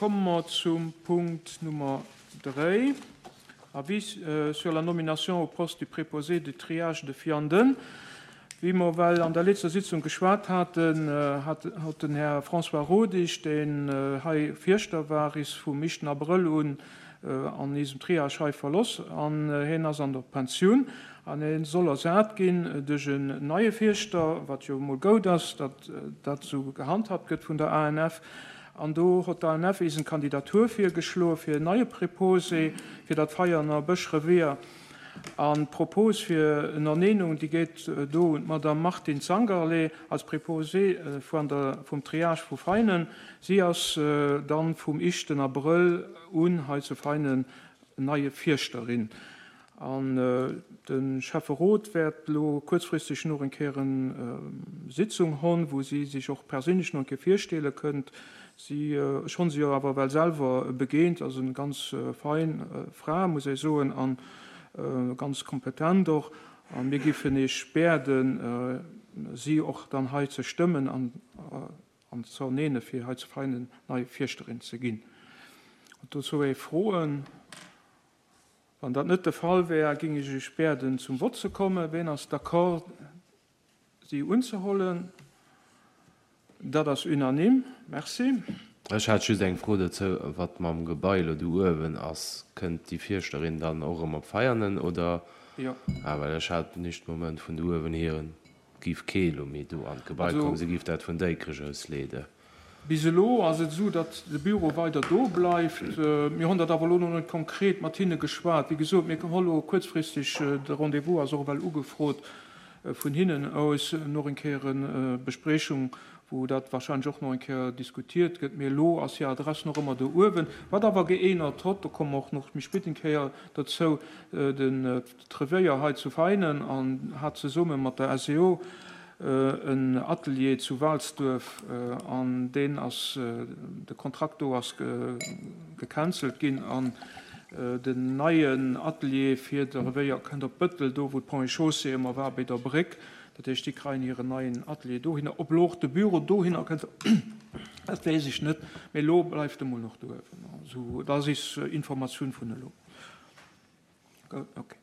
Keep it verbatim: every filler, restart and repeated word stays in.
komme mer zum Punkt Nummer dräi, Avis sur la nomination au poste du préposé du triage de Vianden. Wéi mer well an der letzter Sitzung geschwat haten, hat hat den Här François Rodig, deen hei Fierschter war, is vum éischten Abrëll un an eisem Triage hei verloss an hien ass an der Pensioun an hien soll ersat ginn duerch en neie Fierschter, wat jo emol goud ass, datt dat esou gehandhabt gëtt vun der A N F. An do hott d'A N F is eng Kandidatur virgeschloe fir en neie Préposé fir dat Veianer Bëschrevier. An d'Propos fir Ernennung, déi geet do un d'Madame Martine Zangerlé als Préposée vun der, vum Triage vu Veinen. Si ass dann vum éischten Abrëll un hei zu Veinen neie Fierschterin. An de Schäfferot wäert elo kuerzfristeg nach eng Kéier eng Sitzung hunn, wou si sech och perséinlech nach eng Kéier virstelle kënnt. Si, ech hunn si jo awer well selwer begéint, ass eng ganz fein Fra, muss ech soen, an ganz kompetent och. A mir géifen iech bieden, si och dann hei ze stëmmen an an ze ernenne fir hei zu Veinen nei Fierschterin ze ginn. Dozou ee Froen? Wann dat net de Fall wär, géing ech iech bieden, zum Vott ze kommen. Wien ass d'accord, si unzehuelen? Dat ass unanime. Merci. Ech hat just eng Fro dozou, wat mam Gebai elo do uewen ass. Kënnt déi Fierschterin dann och erëm op Veianen oder? Jo. Ah, well ech hat nicht Moment vun do uewen hieren, giff kee lo méi do an d'Gebai Also kommen, se giff dat vun Déikrech aus leeden. Bis elo ass et esou, datt de Büro weider do bleift. Mir hunn dat awer elo nach net konkret mat hinne geschwat. Wéi gesot, mir hu elo kuerzfristeg, de Rendez-vous ass och ewell ugefrot vun hinnen aus, nach eng Kéier eng Bespriechung, wou dat wahrscheinlech och nach eng Kéier diskutiert gëtt. Mee elo ass hir Adress nach ëmmer do uewen. Wat awer geännert hott, do komme mer och nach méi spéit eng Kéier dozou, den Revéier hei zu Veinen an hat zesumme mat der S E O en Atelier zu Walsduerf an deen ass, de Kontrakt do ass gecancelt ginn an den neien Atelier fir de Revéier kënnt op Bëttel, do wou d'Ponts et Chaussées ëmmer war, bei der Bréck. Dat heescht, déi kréien hiren neien Atelier dohinner. Ob elo och de Büro dohinner kënnt, dat weess ech net, mee elo bleift e mol nach do uewen. Esou, dat ass is Informatioun vun elo. Okay.